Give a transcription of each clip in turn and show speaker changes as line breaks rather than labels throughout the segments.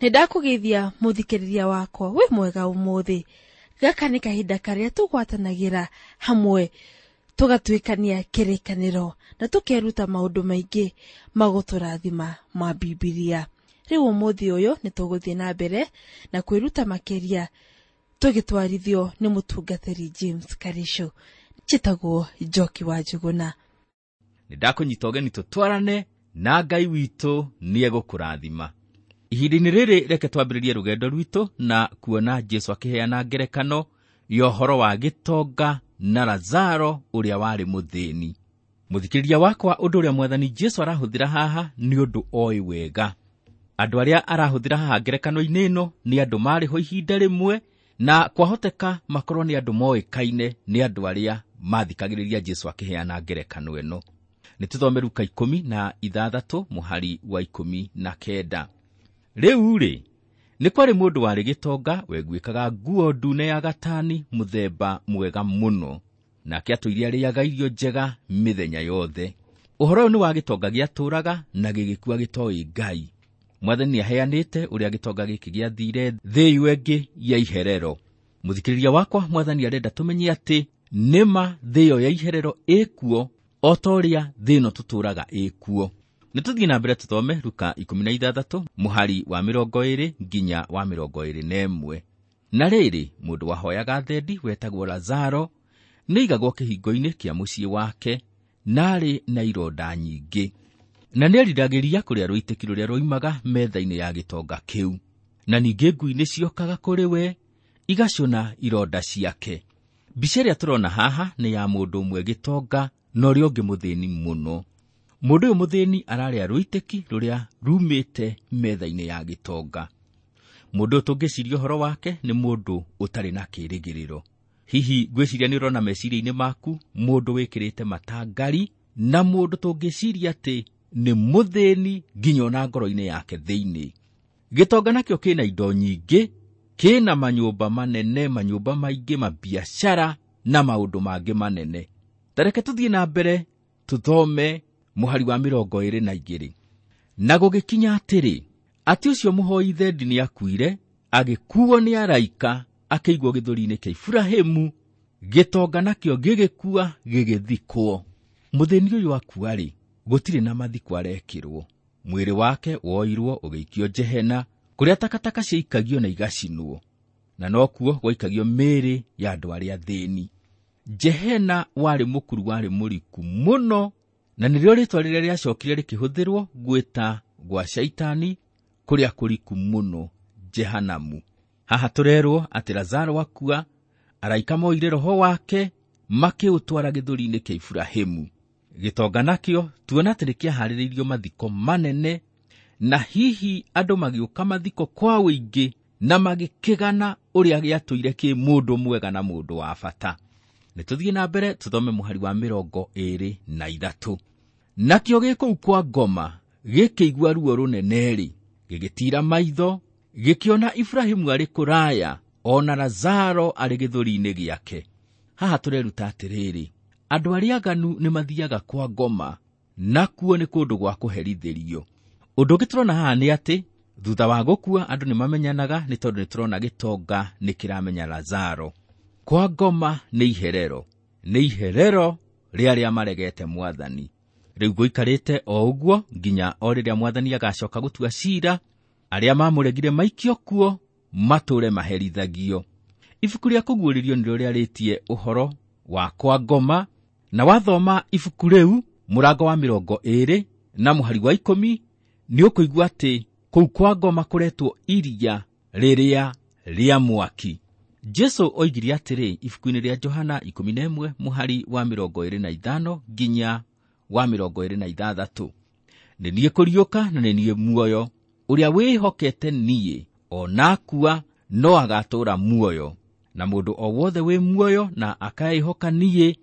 Nĩ ndakũgeithia mũthikĩrĩria wakwa wĩ mwega ũmũthĩ. Gaka nĩ kahinda karĩa tũgwatanagĩra hamwe tũgatuĩkania kĩrĩkanĩro na tũkeruta maũndũ maingĩ magũtũrathima ma Bibilia. Rĩu ũmũthĩ ũyũ nĩ tũgũthiĩ na mbere na kwĩruta makĩria tũgĩtwarithio nĩ mũtungatĩri James Karisho. Njĩtagwo Njoki wa Njũgũna.
Nĩ ndakũnyita ũgeni tũtwarane na Ngai witũ nĩegũkũrathima. Ihinda-inĩ rĩrĩ reke twambĩrĩrie rũgendo rwitũ na kuona Jesu akĩheana ngerekano ya ũhoro wa gĩtonga na Lazaro ũrĩa warĩ mũthĩni. Mũthikĩrĩria wakwa, ũndũ ũrĩa mwathani Jesu arahũthĩra haha nĩ ũndũ oĩ wega. Andũ arĩa arahũthĩra haha ngerekano-inĩ ĩno nĩ andũ marĩ ho ihinda rĩmwe, na kwahoteka makorwo nĩ andũ moĩkaine nĩ andũ arĩa mathikagĩrĩria Jesu akĩheana ngerekano ĩno. Nĩ tũthome Luka 16 mũhari wa 19. Rĩu rĩ, nĩ kwarĩ mũndũ warĩ gĩtonga weguĩkaga nguo ndune ya gatani mũthemba mwega mũno, nake atũire arĩaga irio njega mĩthenya yothe. Ũhoro ũyũ nĩ wa gĩtonga gĩatũũraga na gĩgĩkua gĩtoĩ Ngai. Mwathani nĩaheanĩte ũrĩa gĩtonga gĩkĩ gĩathire thĩ ĩyo ĩngĩ ya iherero. Mũthikĩrĩria wakwa, mwathani arenda tũmenye atĩ nĩma thĩ ĩyo ya iherero ĩkuo o ta ũrĩa thĩ ĩno tũtũũraga ĩkuo. Nĩ tũthiĩ na mbere tũthome Luka 16 mũhari wa 20 nginya wa 21. Na rĩrĩ, mũndũ wahoyaga thendi wetagwo Lazaro nĩaigagwo kĩhingo-inĩ kĩa mũciĩ wake, na arĩ na ironda nyingĩ, na nĩeriragĩria kũrĩa rũitĩki rũrĩa rwoimaga metha-inĩ ya gĩtonga kĩu. Na ningĩ ngui nĩciokaga kũrĩ we igacũna ironda ciake. Mbica ĩrĩa tũrona haha nĩ ya mũndũ ũmwe gĩtonga na ũrĩa ũngĩ mũthĩni mũno. Mũndũ ũyũ mũthĩni ararĩa rũitĩki rũrĩa rumĩte metha-inĩ ya gĩtonga. Mũndũ ũyũ tũngĩciria ũhoro wake nĩ mũndũ ũtarĩ na kĩĩrĩgĩrĩro. Hihi ngwĩciria nĩ ũrona meciria-inĩ maku mũndũ wĩkĩrĩte matangari na mũndũ tũngĩciria atĩ nĩ mũthĩni nginya ona ngoro-inĩ yake thĩinĩ. Gĩtonga nakĩo kĩna indo nyingĩ, kĩna manyũmba manene, manyũmba maingĩ, mabiacara na maũndũ mangĩ manene. Ta reke tũthiĩ na mbere tũthome mũhari wa 22. Na gũgĩkinya atĩrĩ, atĩ ũcio mũhoi thendi nĩakuire, agĩkuo nĩ araika, akĩigwo gĩthũri-inĩ kĩa Iburahĩmu, gĩtonga nakĩo gĩgĩkua gĩgĩthikwo. Mũthĩni ũyũ akua-rĩ, gũtirĩ na mathiko arekĩrwo. Mwĩrĩ wake woirwo ũgĩikio Jehena, kũrĩa takataka ciaikagio na igacinwo, na nokuo gwaikagio mĩĩrĩ ya andũ arĩa athĩni. Jehena warĩ mũkuru warĩ mũriku mũno, na nĩrĩo rĩtwa rĩrĩa rĩacokire rĩkĩhũthĩrwo gwĩta gwa Shaitani kũrĩa kũriku mũno, Jehanamu. Haha tũrerwo atĩ Lazaro akua, araika moire roho wake makĩũtwara gĩthũri-inĩ kĩa Iburahĩmu. Gĩtonga nakĩo tuona atĩ nĩkĩaharĩrĩirio mathiko manene, na hihi andũ magĩũka mathiko kwa ũingĩ na magĩkĩgana ũrĩa gĩatũire kĩ mũndũ mwega na mũndũ wa bata. Nĩ tũthiĩ na mbere tũthome mũhari wa 23. Nakĩo gĩ kũu kwa ngoma gĩkĩigua ruo rũnene-rĩ, gĩgĩtiira maitho, gĩkĩona Iburahĩmu arĩ kũraya, ona Lazaro arĩ gĩthũri-inĩ gĩake. Haha tũreruta atĩrĩrĩ, andũ arĩa aganu nĩ mathiaga kwa ngoma, nakuo nĩ kũndũ gwa kũherithĩrio. Ũndũ ũngĩ tũrona haha nĩ atĩ thutha wa gũkua andũ nĩ mamenyanaga, nĩ tondũ nĩ tũrona gĩtonga nĩ kĩramenya Lazaro. Kwa ngoma nĩ iherero, nĩ iherero rĩa arĩa maregete mwathani. Rĩu gũikarĩte o ũguo nginya o rĩrĩa mwathani agacoka gũtua cira, arĩa mamũregire maikio kuo matũre maherithagio. Ibuku rĩa Kũguũrĩrio nĩrĩo rĩarĩtie ũhoro wa kwa ngoma, na wathoma ibuku rĩu mũrango wa 20 na mũhari wa 10 nĩ ũkũigua atĩ kũu kwa ngoma kũretwo iria rĩrĩa rĩa mwaki. Jesu oigire atĩrĩ ibuku-inĩ rĩa Johana 11 mũhari wa 25 nginya wa 26, nĩ niĩ kũriũka na nĩ niĩ muoyo, ũrĩa wĩhokete niĩ ona akua no agatũũra muoyo, na mũndũ o wothe wĩ muoyo na akaĩhoka niĩ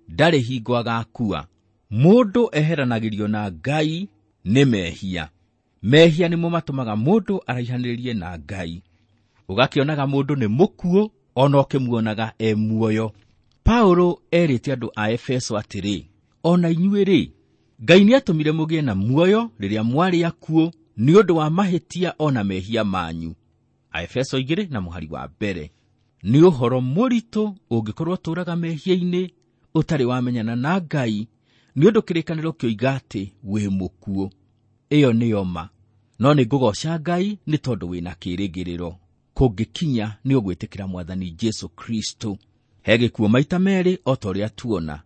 ndarĩ hingo agakua. Mũndũ eheranagĩrio na Ngai nĩ mehia. Mehia nĩmo matũmaga mũndũ araihanĩrĩrie na Ngai. Ũgakĩonaga mũndũ nĩ mũkuũ ona ũkĩmuonaga e muoyo. Paulo erĩte andũ a Efeso atĩrĩ, ona inyuĩ rĩ, Ngai nĩatũmire mũgĩe na muoyo rĩrĩa mwarĩ akuũ nĩ ũndũ wa mahĩtia ona mehia manyu. Aefeso 2:1. Nĩ ũhoro mũritũ ũngĩkorwo ũtũũraga mehia-inĩ ũtarĩ wamenyana na Ngai, nĩ ũndũ kĩrĩkanĩro kĩoiga atĩ wĩ mũkuũ. Ĩyo nĩyo ma. No nĩ ngũgooca Ngai nĩ tondũ wĩna kĩĩrĩgĩrĩro. Kũngĩkinya nĩ ũgwĩtĩkĩra Mwathani Jesũ Kristo. He gĩkuũ maita merĩ o ta ũrĩa tuona.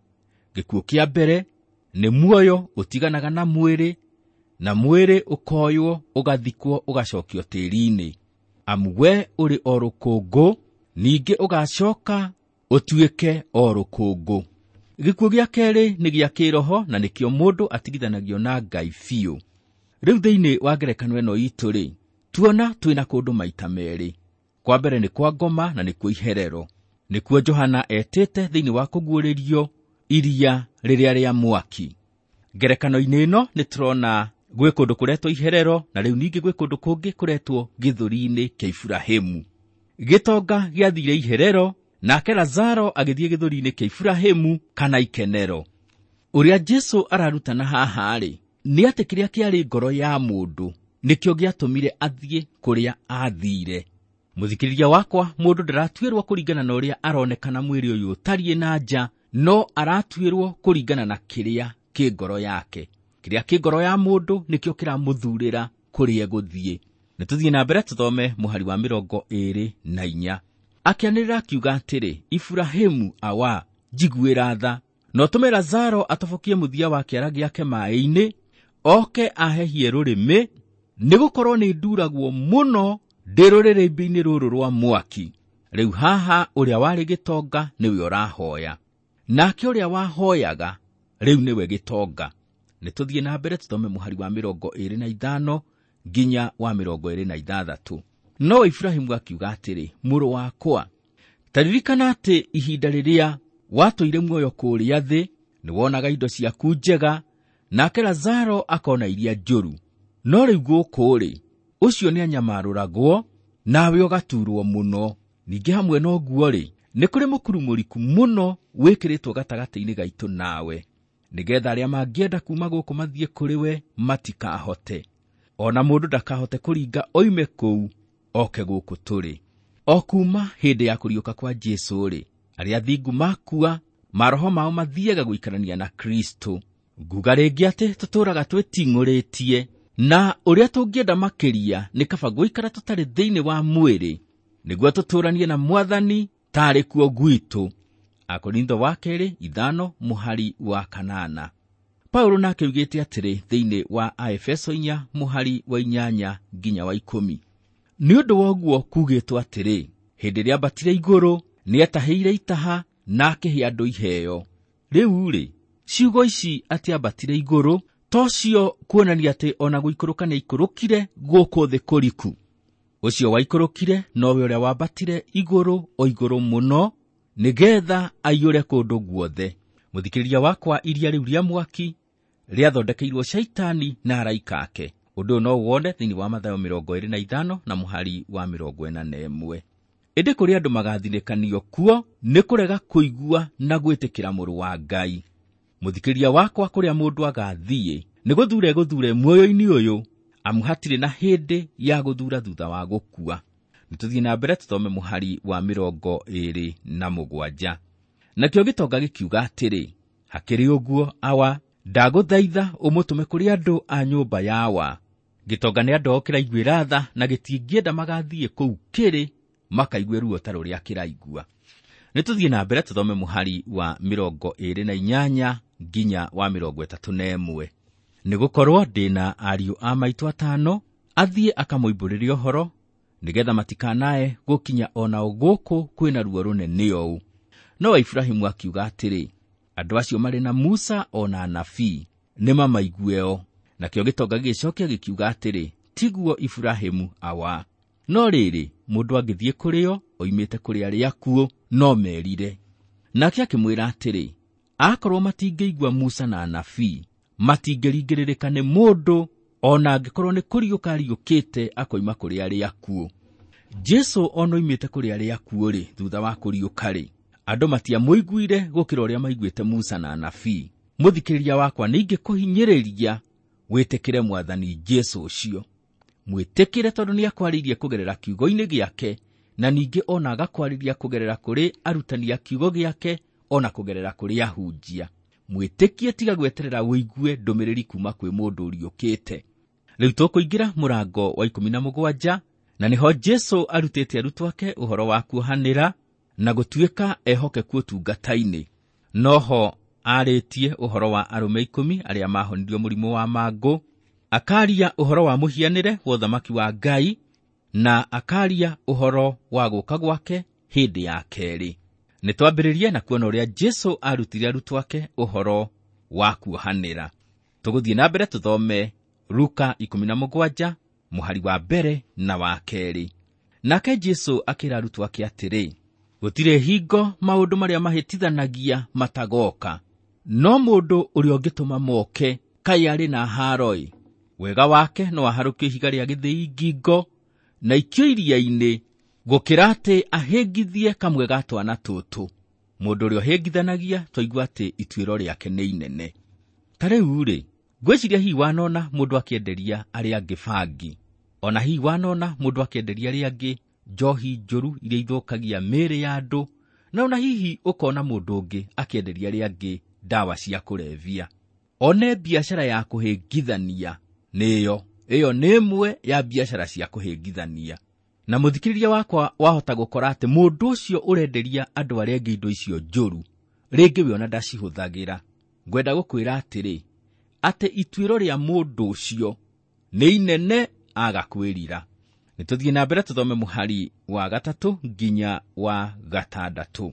Gĩkuũ kĩa mbere nĩ muoyo ũtiganaga na mwĩrĩ, na mwĩrĩ ũkoywo ũgathikwo ũgacokio tĩĩri-inĩ. Amu we ũrĩ o rũkũngũ, ningĩ ũgacoka ũtuĩke o rũkũngũ. Gĩkuũ gĩa kerĩ nĩ gĩa kĩroho, na nĩkĩo mũndũ atigithanagio na Ngai biũ. Rĩu thĩinĩ wa ngerekano ĩno itũ-rĩ, tuona twĩna kũndũ maita merĩ. Kwa mbere nĩ kwa ngoma na nĩkuo iherero. Nĩkuo Johana etĩte thĩinĩ wa kũguũrĩrio iria rĩrĩa rĩa mwaki. Ngerekano-inĩ ĩno nĩ tũrona gwĩ kũndũ kũretwo iherero, na rĩu ningĩ gwĩ kũndũ kũngĩ kũretwo gĩthũri-inĩ kĩa Iburahĩmu. Gĩtonga gĩathire iherero, nake Lazaro agĩthiĩ gĩthũri-inĩ kĩa Iburahĩmu kana ikenero. Ũrĩa Jesũ ararutana haha-rĩ, nĩ atĩ kĩrĩa kĩarĩ ngoro ya mũndũ nĩkĩo gĩatũmire athiĩ kũrĩa athire. Mũthikĩrĩria wakwa, mũndũ ndaratuĩrwo kũringana na ũrĩa aronekana mwĩrĩ ũyũ ũtariĩ na nja, no aratuĩrwo kũringana na kĩrĩa kĩ ngoro yake. Kĩrĩa kĩ ngoro ya mũndũ nĩkĩo kĩramũthurĩra kũrĩa egũthiĩ. Nĩ tũthiĩ na mbere tũthome mũhari wa 24. Akĩanĩrĩra akiuga atĩrĩ, Iburahĩmu awa, njiguĩra tha, na ũtũme Lazaro atobokie mũthia wa kĩara gĩake maaĩ-inĩ, oke ahehie rũrĩmĩ, nĩgũkorwo nĩ nduragwo mũno ndĩ rũrĩrĩmbĩ-inĩ rũrũ rwa mwaki. Rĩu haha ũrĩa warĩ gĩtonga nĩwe ũrahoya, nake ũrĩa wahoyaga rĩu nĩwe gĩtonga. Nĩ tũthiĩ na mbere tũthome mũhari wa 25 nginya wa 26. No Iburahĩmu akiuga atĩrĩ, mũrũ wakwa, ta ririkana atĩ ihinda rĩrĩa watũire muoyo kũrĩa thĩ, nĩwonaga indo ciaku njega, nake Lazaro akona iria njũru. No rĩu gũkũ-rĩ, ũcio nĩanyamarũragwo, nawe ũgaturwo mũno. Ningĩ hamwe na ũguo-rĩ, nĩ kũrĩ mũkuru mũriku mũno wĩkĩrĩtwo gatagatĩ-inĩ gaitũ nawe, nĩgetha arĩa mangĩenda kuuma gũkũ mathiĩ kũrĩ we matikahote. Ona mũndũ ndakahote kũringa oime kũu oke gũkũ tũrĩ. O kuuma hĩndĩ ya kũriũka kwa Jesũ-rĩ, arĩa athingu makua, maroho mao mathiaga gũikarania na Kristo. Nguga rĩngĩ atĩ tũtũũraga twĩting'ũrĩtie, na ũrĩa tũngĩenda makĩria nĩ kaba gũikara tũtarĩ thĩinĩ wa mwĩrĩ, nĩguo tũtũũranie na Mwathani taarĩ kuo gwitũ. Akorintho wa kerĩ 5:8. Paulo nake oigĩte atĩrĩ thĩinĩ wa Aefeso 4:8 nginya wa 10. Nĩ ũndũ wa ũguo kugĩtwo atĩrĩ, hĩndĩ ĩrĩa ambatire igũrũ, nĩatahĩire itaha na akĩhe andũ iheo. Rĩu-rĩ, ciugo ici atĩ ambatire igũrũ tocio kuonania atĩ ona gũikũrũka nĩaikũrũkire gũkũ thĩ kũriku. Ũcio waikũrũkire nowe ũrĩa wambatire igũrũ o igũrũ mũno, nĩgetha aiyũre kũndũ guothe. Mũthikĩrĩria wakwa, iria rĩu rĩa mwaki rĩathondekeirwo Shaitani na araika ake. Ũndũ ũyũ no wone thĩinĩ wa Mathayo 25 na mũhari wa 41. Ĩndĩ kũrĩ andũ magathinĩkanio kuo nĩ kũrega kũigua na gwĩtĩkĩra mũrũ wa Ngai. Mũthikĩrĩria wakwa, kũrĩa mũndũ agathiĩ nĩ gũthure gũthure muoyo-inĩ ũyũ, amu hatirĩ na hĩndĩ ya gũthura thutha wa gũkua. Nĩ tũthiĩ na mbere tũthome mũhari wa 27. Nakĩo gĩtonga gĩkiuga atĩrĩ, hakĩrĩ ũguo awa, ndagũthaitha ũmũtũme kũrĩ andũ a nyũmba yawa. Gĩtonga nĩ andũ ao kĩraiguĩra tha, na gĩtingĩenda magathiĩ kũu kĩrĩ makaigue ruo ta rũrĩa kĩraigua. Nĩ tũthiĩ na mbere tũthome mũhari wa 28 nginya wa 31. Nĩgũkorwo ndĩna ariũ a maitũ 5, athiĩ akamoimbũrĩre ũhoro, nĩgetha matikanae gũkinya onao gũkũ kwĩna ruo rũnene ũũ. No Iburahĩmu akiuga atĩrĩ, andũ acio marĩ na Musa ona anabii, nĩmamaigueo. Nakĩo gĩtonga gĩgĩcokia gĩkiuga atĩrĩ, tiguo Iburahĩmu awa. No rĩrĩ, mũndũ angĩthiĩ kũrĩ o oimĩte kũrĩ arĩa akuũ, no merire. Nake akĩmwĩra atĩrĩ, akorwo matingĩigua Musa na anabii, matingĩringĩrĩrĩka nĩ mũndũ, ona angĩkorwo nĩ kũriũka ariũkĩte akoima kũrĩ arĩa akuũ. Jesũ ona oimĩte kũrĩ arĩa akuũ-rĩ, thutha wa kũriũka-rĩ, andũ matiamũiguire gũkĩra ũrĩa maiguĩte Musa na anabii. Mũthikĩrĩria wakwa, nĩingĩkũhinyĩrĩria wĩtĩkĩre Mwathani Jesũ ũcio. Mwĩtĩkĩre tondũ nĩakwarĩirie kũgerera kiugo-inĩ gĩake, na ningĩ ona agakwarĩria kũgerera kũrĩ arutani a kiugo gĩake, ona kũgerera kũrĩ ahunjia. Mwĩtĩkie, tiga gweterera ũigue ndũmĩrĩri kuma kwĩ mũndũ ũriũkĩte. Rĩu tũkũingĩra mũrango wa 17, na nĩho Jesũ arutĩte arutwo ake ũhoro wa kuohanĩra na gũtuĩka ehokeku ũtungata-inĩ. Noho arĩtie ũhoro wa arũme 10 arĩa mahonirio mũrimũ wa mangũ, akaria ũhoro wa mũhianĩre wa ũthamaki wa Ngai, na akaria ũhoro wa gũka gwake hĩndĩ ya kerĩ. Nĩ twambĩrĩrie na kuona ũrĩa Jesũ arutire arutwo ake ũhoro wa kuohanĩra. Tũgũthiĩ na mbere tũthome Luka 17 mũhari wa mbere na wa kerĩ. Nake Jesũ akĩra arutwo ake atĩrĩ, gũtirĩ hingo maũndũ marĩa mahĩtithanagia matagoka, no mũndũ ũrĩa ũngĩtũma moke kaĩ arĩ na haaro-ĩ. Wega wake no aharũkio ihiga rĩa gĩthĩi ngingo na ikio iria-inĩ, gũkĩra atĩ ahĩngithie kamwe ga twana tũtũ. Mũndũ ũrĩa ũhĩngithanagia twaigua atĩ ituĩro rĩake nĩ inene. Ta rĩu-rĩ, ngwĩciria hihi wanona mũndũ akĩenderia arĩa angĩ bangi, ona hihi wanona mũndũ akĩenderia arĩa angĩ njohi njũru iria ithũkagia mĩĩrĩ ya andũ, na ona hihi ũkona mũndũ ũngĩ akĩenderia arĩa angĩ ndawa cia kũrebia. One biacara ya kũhĩngithania nĩyo, ĩyo nĩ ĩmwe ya biacara cia kũhĩngithania. Na mũthikĩrĩria wakwa wahota gũkora atĩ mũndũ ũcio ũrenderia andũ arĩa angĩ indo icio njũru, rĩngĩ we ona ndacihũthagĩra. Ngwenda gũkwĩra atĩrĩ, atĩ ituĩro rĩa mũndũ ũcio nĩ inene aga kwĩrira. Nĩ tũthiĩ na mbere tũthome mũhari wa 3 nginya wa 6.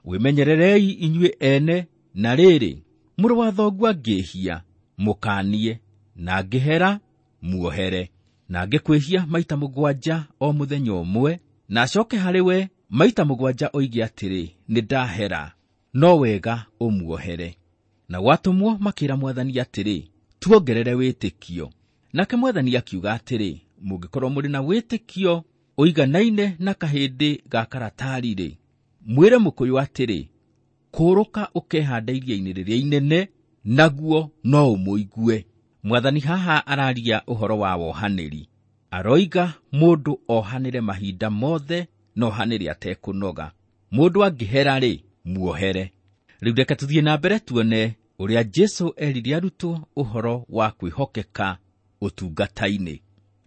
Wĩmenyererei inyuĩ ene, na rĩrĩ, mũrũ wa thoguo angĩhia, mũkaanie, na angĩhera, muohere. Na angĩkwĩhia maita 7 o mũthenya ũmwe, na acoke harĩ we maita 7 oige atĩrĩ, nĩ ndahera, no wega ũmuohere. Na gwatũmwo makĩra mwathani atĩrĩ, tuongerere wĩtĩkio. Nake mwathani akiuga atĩrĩ, mũngĩkorwo mũrĩ na wĩtĩkio ũiganaine na kahĩndĩ ga karatari-rĩ, mwĩre mũkũyũ atĩrĩ, kũũrũka ũkehande iria-inĩ rĩrĩa inene, naguo no ũmũigue. Mwathani haha araria ũhoro wa wohanĩri. Aroiga mũndũ ohanĩre mahinda mothe, na ohanĩre atekũnoga. Mũndũ angĩhera-rĩ, muohere. Rĩu reke tũthiĩ na mbere tuone ũrĩa Jesũ erire arutwo ũhoro wa kwĩhokeka ũtungata-inĩ.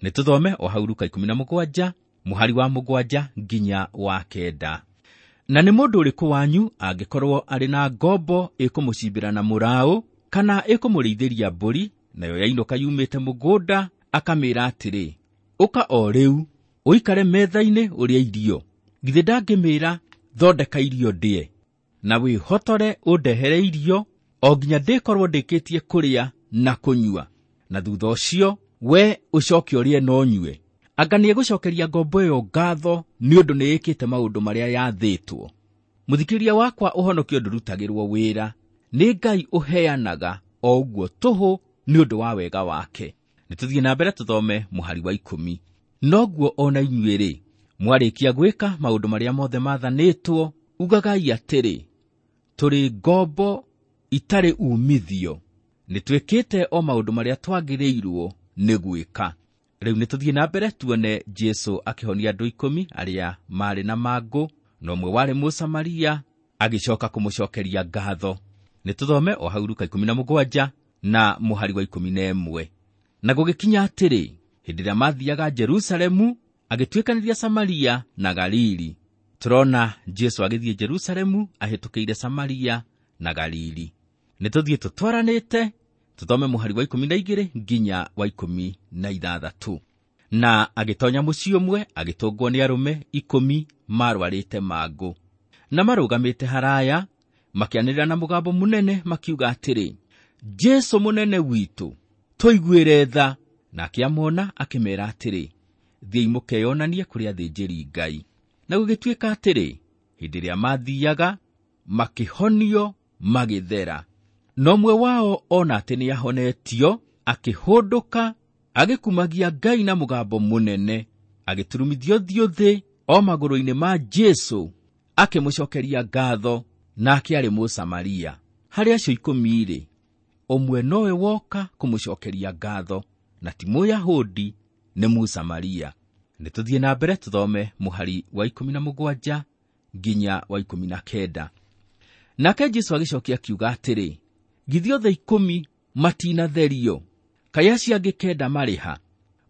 Nĩ tũthome o hau Luka 17 mũhari wa 7 nginya wa 9. Na nĩ mũndũ ũrĩkũ wanyu angĩkorwo arĩ na ngombo ĩkũmũcimbĩra na mũraũ, kana ĩkũmũrĩithĩria mbũri, nayo yainũka yumĩte mũgũnda, akamĩĩra atĩrĩ, ũka o rĩu, ũikare metha-inĩ ũrĩe irio. Githĩ ndangĩmĩĩra, thondeka irio ndĩe, na wĩhotore ũndehere irio, o nginya ndĩkorwo ndĩkĩtie kũrĩa na kũnyua, na thutha ũcio we ũcoke ũrĩe na ũnyue. Anga nĩegũcokeria ngombo ĩyo ngatho nĩ ũndũ nĩĩkĩte maũndũ marĩa yathĩtwo. Mũthikĩrĩria wakwa, ũhonokio ndũrutagĩrwo wĩra, nĩ Ngai ũheanaga o ũguo tũhũ nĩ ũndũ wa wega wake. Nĩ tũthiĩ na mbere tũthome mũhari wa 10. Noguo ona inyuĩ-rĩ, mwarĩkia gwĩka maũndũ marĩa mothe maathanĩtwo, ugagai atĩrĩ, tũrĩ ngombo itarĩ uumithio, nĩ twĩkĩte o maũndũ marĩa twagĩrĩirwo nĩ gwĩka. Rĩu nĩ tũthiĩ na mbere tuone Jesũ akĩhonia andũ 10 arĩa maarĩ na mangũ, na ũmwe warĩ Mũsamaria agĩcoka kũmũcokeria ngatho. Nĩ tũthome o hau Luka 17 na mũhari wa 11. Na gũgĩkinya atĩrĩ, hĩndĩ ĩrĩa maathiaga Jerusalemu, agĩtuĩkanĩria Samaria na Galili. Tũrona Jesũ agĩthiĩ Jerusalemu ahĩtũkĩire Samaria na Galili. Nĩ tũthiĩ tũtwaranĩte, tũthome mũhari wa 12 nginya wa 16. Na agĩtonya mũciĩ ũmwe, agĩtũngwo nĩ arũme 10 marwarĩte mangũ. Na marũgamĩte haraya, makĩanĩrĩra na mũgambo mũnene makiuga atĩrĩ, Jesũ mũnene witũ, tũiguĩre tha. Nake amona akĩmeera atĩrĩ, thiĩi mũkeyonanie kũrĩ athĩnjĩri Ngai. Na gũgĩtuĩka atĩrĩ, hĩndĩ ĩrĩa maathiaga, makĩhonio magĩthera. Na ũmwe wao ona atĩ nĩahonetio, akĩhũndũka, agĩkumagia Ngai na mũgambo mũnene, agĩturumithia ũthiũ thĩ o magũrũ-inĩ ma Jesũ, akĩmũcokeria ngatho, nake arĩ Mũsamaria. Harĩ acio 10-rĩ, ũmwe nowe woka kũmũcokeria ngatho, na ti Mũyahudi Nĩ Mũsamaria. Nĩ tũthiĩ na mbere tũthome mũhari wa 17 nginya wa 19. Nake Jesũ agĩcokia akiuga atĩrĩ, githĩ othe 10 matinatherio? Kaĩ acio angĩ 9 marĩ ha?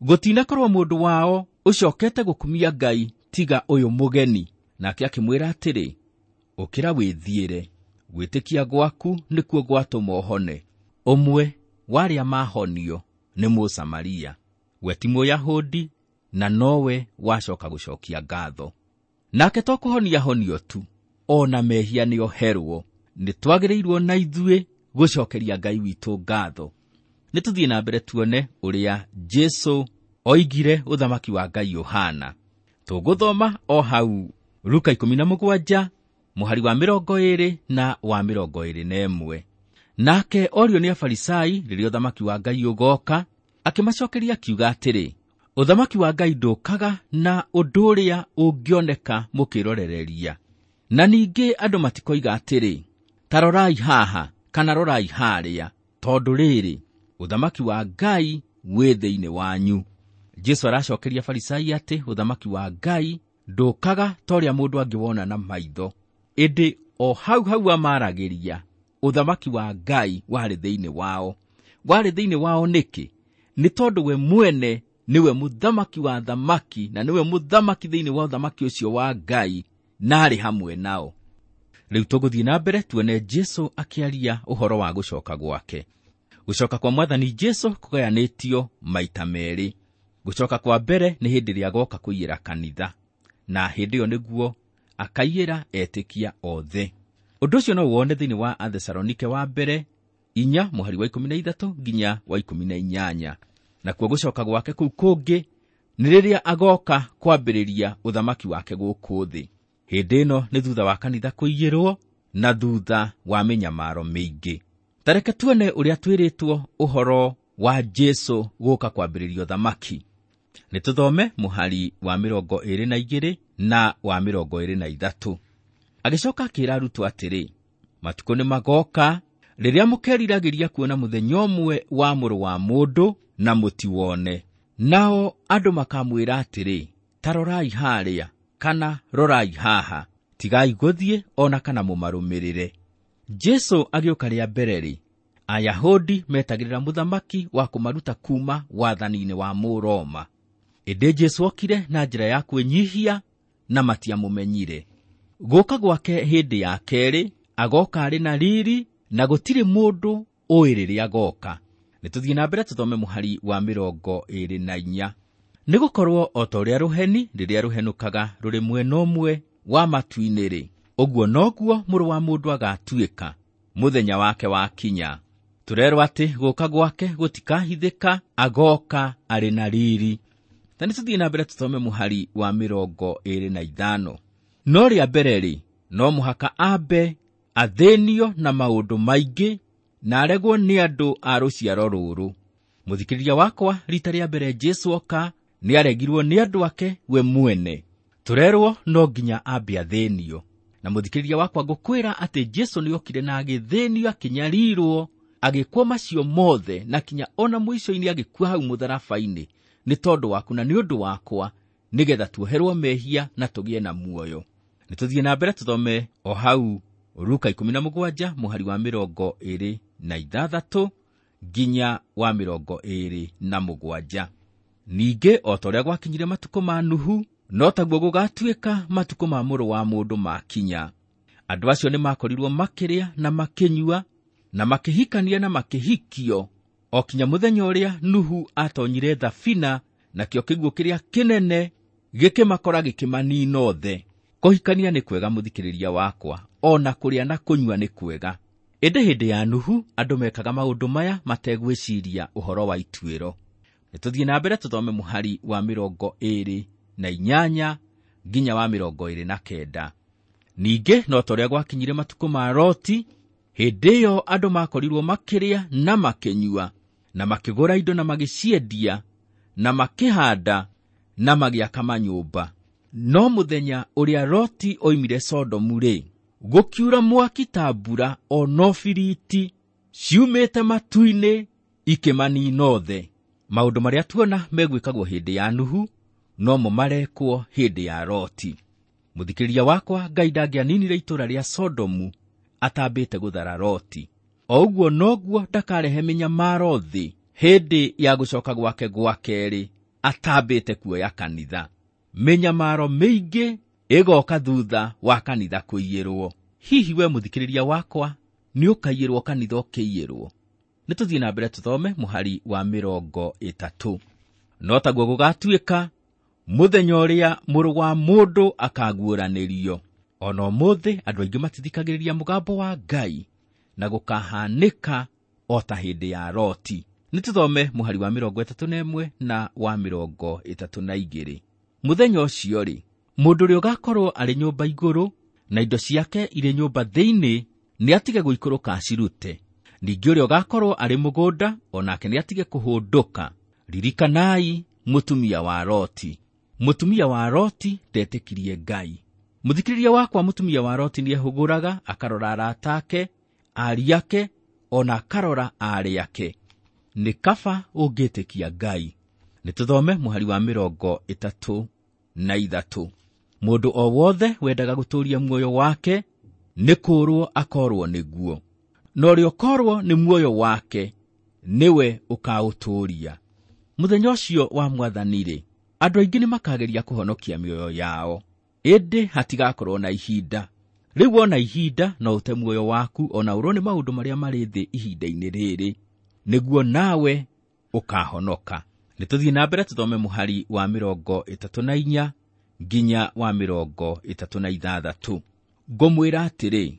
Gũtinakorwo mũndũ wao ũcokete gũkumia Ngai tiga ũyũ mũgeni. Nake akĩmwĩra atĩrĩ, ũkĩra wĩthiĩre, gwĩtĩkia gwaku nĩkuo gwatũma ũhone. Ũmwe wa arĩa mahonio nĩ Mũsamaria, we ti Mũyahudi, na nowe wacoka gũcokia ngatho. Nake to kũhonia honio tu, ona mehia nĩ oherwo. Nĩ twagĩrĩirwo na ithuĩ gũcokeria Ngai witũ ngatho. Nĩ tũthiĩ na mbere tuone ũrĩa Jesũ oigire ũthamaki wa Ngai ũhana. Tũgũthoma o hau Luka 17 mũhari wa 20 na wa 21. Nake orio nĩ Afarisai rĩrĩa ũthamaki wa Ngai ũgoka, akĩmacokeria akiuga atĩrĩ, ũthamaki wa Ngai ndũkaga na ũndũ ũrĩa ũngĩoneka mũkĩrorereria. Na ningĩ andũ matikoiga atĩrĩ, ta rorai haha kana rorai harĩa, tondũ rĩrĩ, ũthamaki wa Ngai wĩ thĩinĩ wanyu. Jesũ aracokeria Farisai atĩ ũthamaki wa Ngai ndũkaga ta ũrĩa mũndũ angĩwona na maitho, ĩndĩ o hau hau amaragĩria ũthamaki wa Ngai warĩ thĩinĩ wao. Warĩ thĩinĩ wao nĩkĩ? Nĩ tondũ we mwene nĩwe mũthamaki wa thamaki, na nĩwe mũthamaki thĩinĩ wa ũthamaki ũcio wa Ngai, na arĩ hamwe nao. Rĩu tũgũthiĩ na mbere tuone Jesũ akĩaria ũhoro wa gũcoka gwake. Gũcoka kwa Mwathani Jesũ kũgayanĩtio maita merĩ. Gũcoka kwa mbere nĩ hĩndĩ ĩrĩa agoka kũiyĩra kanitha, na hĩndĩ ĩyo nĩguo akaiyĩra etĩkia othe. Ũndũ ũcio no wone thĩinĩ wa Athesalonike wa mbere 4 mũhari wa 13 nginya wa 18. Nakuo gũcoka gwake kũu kũngĩ nĩ rĩrĩa agoka kwambĩrĩria ũthamaki wake gũkũ thĩ. Hĩndĩ ĩno nĩ thutha wa kanitha kũiyĩrwo na thutha wa mĩnyamaro mĩingĩ. Ta reke tuone ũrĩa twĩrĩtwo ũhoro wa Jesũ gũka kwambĩrĩria ũthamaki. Nĩ tũthome mũhari wa 22 na wa 23. Agĩcoka akĩĩra arutwo atĩrĩ, matukũ nĩ magoka rĩrĩa mũkeriragĩria kuona mũthenya ũmwe wa Mũrũ wa Mũndũ na mũtiwone. Nao andũ makamwĩra atĩrĩ, ta rorai harĩa kana rorai haha, tigai gũthiĩ ona kana mũmarũmĩrĩre. Jesũ agĩũka rĩa mbere rĩ, Ayahudi metagĩrĩra mũthamaki wa kũmaruta kuma wathani-inĩ wa Mũroma. Ĩndĩ Jesũ okire na njĩra ya kwĩnyihia na matiamũmenyire. Gũka gwake hĩndĩ ya kerĩ agoka arĩ na riri na gũtirĩ mũndũ ũĩ rĩrĩa agoka. Nĩ tũthiĩ na mbere tũthome mũhari wa 24. Nĩ gũkorwo o ta ũrĩa rũheni rĩrĩa rũhenũkaga rũrĩ mwena ũmwe wa matu-inĩ rĩ, ũguo noguo Mũrũ wa Mũndũ agatuĩka mũthenya wake wakinya. Tũrerwo atĩ gũka gwake gũtikahithĩka, agoka arĩ na riri. Na nĩ tũthiĩ na mbere tũthome mũhari wa 25. No rĩa mbere rĩ, no mũhaka ambe athĩnio na maũndũ maingĩ na aregwo nĩ andũ a rũciaro rũrũ. Mũthikĩrĩria wakwa, rita rĩa mbere Jesũ oka nĩ aregirwo nĩ andũ ake we mwene. Tũrerwo no nginya ambe athĩnio. Na mũthikĩrĩria wakwa, ngũkwĩra atĩ Jesũ nĩ okire na agĩthĩnio, akĩnyarirwo, agĩkwo macio mothe, na kinya ona mũico-inĩ agĩkua hau mũtharaba-inĩ nĩ tondũ waku na nĩ ũndũ wakwa, nĩgetha tuoherwo mehia na tũgĩe na muoyo. Nĩ tũthiĩ na mbere tũthome o hau Luka 17 mũhari wa 26 nginya wa 27. Ningĩ o ta ũrĩa gwakinyire matukũ ma Nuhu, no taguo gũgatuĩka matukũ ma Mũrũ wa Mũndũ makinya. Andũ acio nĩ makorirwo makĩrĩa na makĩnyua na makĩhikania na makĩhikio o kinya mũthenya ũrĩa Nuhu atonyire thabina, nakĩo kĩguũ kĩrĩa kĩnene gĩkĩmakora gĩkĩmanina othe. Kũhikania nĩ kwega mũthikĩrĩria wakwa, ona kũrĩa na kũnyua nĩ kwega. Ĩndĩ hĩndĩ ya Nuhu andũ mekaga maũndũ maya mategwĩciria ũhoro wa ituĩro. Nĩ tũthiĩ na mbere tũthome mũhari wa 28 nginya wa 29. Ningĩ no ta ũrĩa gwakinyire matukũ ma Loti, hĩndĩ ĩyo andũ makorirwo makĩrĩa na makĩnyua na makĩgũra indo na magĩciendia na makĩhanda na magĩaka manyũmba. No mũthenya ũrĩa Loti oimire Sodomu rĩ, gũkiura mwaki ta mbura o no biriti ciumĩte matu-inĩ ikĩmanina othe. Maũndũ marĩa tuona megwĩkagwo hĩndĩ ya Nuhu nomo marekwo hĩndĩ ya Loti. Mũthikĩrĩria wakwa, Ngai ndangĩaninire itũũra rĩa Sodomu atambĩte gũthara Loti. O ũguo noguo ndakarehe mĩnyamaro thĩ hĩndĩ ya gũcoka gwake gwa kerĩ atambĩte kuoya kanitha. Mĩnyamaro mĩingĩ ĩgoka thutha wa kanitha kũiyĩrwo. Hihi we mũthikĩrĩria wakwa nĩ ũkaiyĩrwo kanitha ũkĩiyĩrwo? Nĩ tũthiĩ na mbere tũthome mũhari wa 30. No taguo gũgatuĩka mũthenya ũrĩa Mũrũ wa Mũndũ akaguũranĩrio. Ona ũmũthĩ andũ aingĩ matithikagĩrĩria mũgambo wa Ngai, na gũkahanĩka o ta hĩndĩ ya Loti. Nĩ tũthome mũhari wa 31 na wa 32. Mũthenya ũcio-rĩ, mũndũ ũrĩa ũgakorwo arĩ nyũmba igũrũ na indo ciake irĩ nyũmba thĩinĩ nĩ atige gũikũrũka acirute. Ningĩ ũrĩa ũgakorwo arĩ mũgũnda o nake nĩ atige kũhũndũka. Ririkanai mũtumia wa Loti. Mũtumia wa Loti ndetĩkirie Ngai. Mũthikĩrĩria wakwa, mũtumia wa Loti nĩehũgũraga akarora arata ake, aariũ ake, ona akarora aarĩ ake. Nĩ kaba ũngĩtĩkia Ngai. Nĩ tũthome mũhari wa 33. Mũndũ o wothe wendaga gũtũũria muoyo wake nĩ kũũrwo akorwo nĩguo, na ũrĩa ũkorwo nĩ muoyo wake nĩwe ũkaũtũũria. Mũthenya ũcio wa Mwathani-rĩ, andũ aingĩ nĩ makageria kũhonokia mĩoyo yao, ĩndĩ hatigakorwo na ihinda. Rĩu wona ihinda no ũte muoyo waku ona ũrwo nĩ maũndũ marĩa marĩ thĩ ihinda-inĩ rĩrĩ, nĩguo nawe ũkahonoka. Nĩ tũthiĩ na mbere tũthome mũhari wa 34 nginya wa 36. Ngũmwĩra atĩrĩ,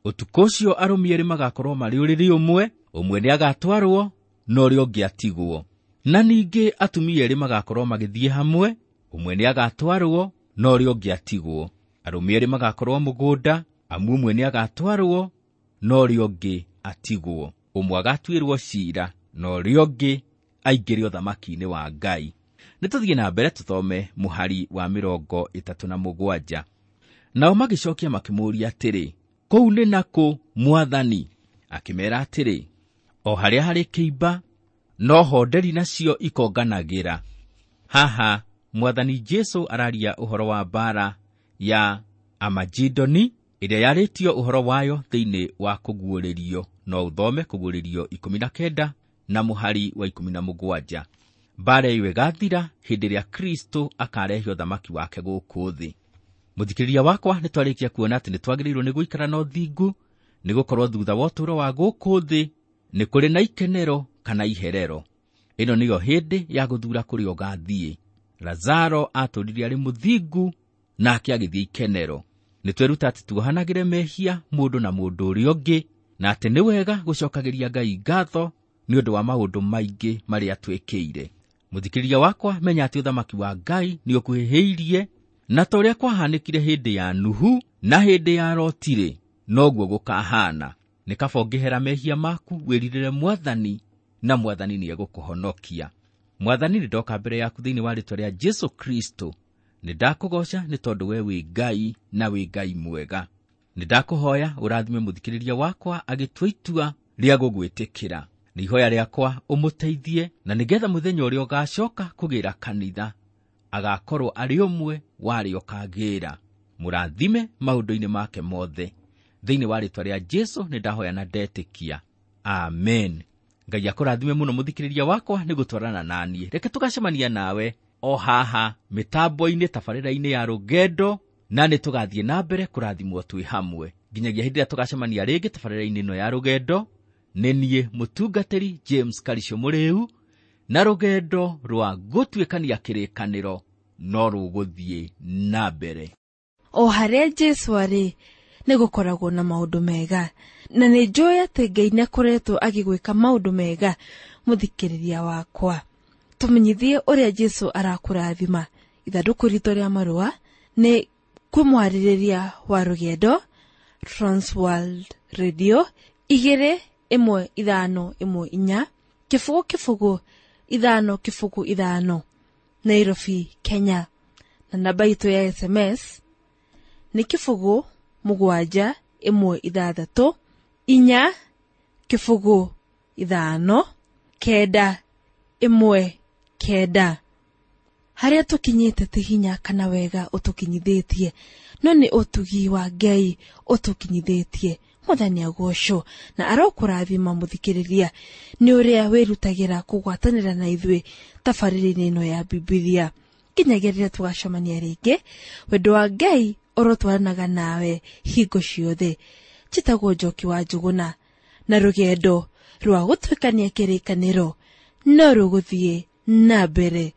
ũtukũ ũcio arũme erĩ magakorwo marĩ ũrĩrĩ ũmwe, ũmwe nĩagatwarwo na ũrĩa ũngĩ atigwo. Na ningĩ atumia erĩ magakorwo magĩthiĩ hamwe, ũmwe nĩagatwarwo na ũrĩa ũngĩ atigwo. Arũme erĩ magakorwo mũgũnda, amu ũmwe nĩagatwarwo na ũrĩa ũngĩ atigwo. Ũmwe agatuĩrwo ciira na ũrĩa ũngĩ aingĩre ũthamaki-inĩ wa Ngai. Nĩ tũthiĩ na mbere tũthome mũhari wa 37. Nao magĩcokia makĩmũũria atĩrĩ, kũu nĩ nakũ, Mwathani? Akĩmeera atĩrĩ, o harĩa harĩ kĩimba no ho nderi nacio ikonganagĩra. Haha Mwathani Jesu araria ũhoro wa mbara ya Amagidoni ĩrĩa yarĩtio ũhoro wayo thĩinĩ wa kũguũrĩrio. No ũthome kũguũrĩrio 19 na mũhari wa 17. Mbara ĩyo ĩgathira hĩndĩ ĩrĩa Kristo akarehe ũthamaki wake gũkũ thĩ. Mũthikĩrĩria wakwa, nĩ twarĩkia kuona atĩ nĩ twagĩrĩirwo nĩ gũikara na ũthingu, nĩ gũkorwo thutha wa ũtũũro wa gũkũ thĩ nĩ kũrĩ na ikenero kana iherero. Ĩno nĩyo hĩndĩ ya gũthura kũrĩa ũgathiĩ. Lazaro atũũrire arĩ mũthingu nake agĩthiĩ ikenero. Nĩ tweruta atĩ tuohanagĩre mehia mũndũ na mũndũ ũrĩa ũngĩ, na atĩ nĩ wega gũcokagĩria Ngai ngatho nĩ ũndũ wa maũndũ maingĩ marĩa twĩkĩire. Mũthikĩrĩria wakwa, menya atĩ ũthamaki wa Ngai nĩ ũkuhĩhĩirie, na ta ũrĩa kwahanĩkire hĩndĩ ya Nuhu na hĩndĩ ya Loti-rĩ, noguo gũkahana. Nĩ kaba ũngĩhera mehia maku wĩrirĩre Mwathani, na Mwathani nĩegũkũhonokia. Mwathani, nĩ ndoka mbere yaku thĩinĩ wa rĩĩtwa rĩa Jesu Kristo. Nĩ ndakũgoca nĩ tondũ we wĩ Ngai na wĩ Ngai mwega. Nĩ ndakũhoya ũrathime mũthikĩrĩria wakwa agĩtua itua rĩa gũgwĩtĩkĩra. Nĩ ihoya rĩakwa ũmũteithie, na nĩgetha mũthenya ũrĩa ũgacoka kũgĩra kanitha agakorwo arĩ ũmwe wa arĩa ũkagĩra. Mũrathime maũndũ-inĩ make mothe. Thĩinĩ wa rĩĩtwa rĩa Jesu nĩ ndahoya na ndetĩkia. Amen. Ngai akũrathime mũno mũthikĩrĩria wakwa nĩ gũtwarana naniĩ. Reke tũgacemania nawe o haha mĩtambo-inĩ tabarĩra-inĩ ya rũgendo, na nĩ tũgathiĩ na mbere kũrathimwo twĩ hamwe nginyagia hĩndĩ ĩrĩa tũgacemania rĩngĩ tabarĩra-inĩ ĩno ya rũgendo. Nĩ niĩ mũtungatĩri James Karisho Mũrĩu, na rũgendo rwa gũtuĩkania kĩrĩkanĩro no rũgũthiĩ na mbere.
O harĩa Jesu arĩ nĩ gũkoragwo na maũndũ mega, na nĩ njũĩ atĩ Ngai nĩakoretwo agĩgwĩka maũndũ mega. Mũthikĩrĩria wakwa, tũmenyithie ũrĩa Jesu arakũrathima. Ithandũkũ ritũ rĩa marũa nĩ kwĩ mwarĩrĩria wa rũgendo, Transworld Radio 21514 0 0 5 0 5, Nairobi, Kenya. Na namba itũ ya SMS nĩ 0 7 1 6 4 0 5 9 1 9. Harĩa tũkinyĩte ti hinya kana wega ũtũkinyithĩtie, no nĩ ũtugi wa Ngai ũtũkinyithĩtie. Mwathani agocwo na arokũrathima mũthikĩrĩria nĩ ũrĩa wĩrutagĩra kũgwatanĩra na ithuĩ tabarĩra-inĩ ĩno ya Bibilia. Nginyagia rĩrĩa tũgacemania rĩngĩ, wendo wa Ngai ũrotwaranaga nawe hingo ciothe. Njĩtagwo Njoki wa Njũgũna, na rũgendo rwa gũtuĩkania kĩrĩkanĩro no rũgũthiĩ na mbere.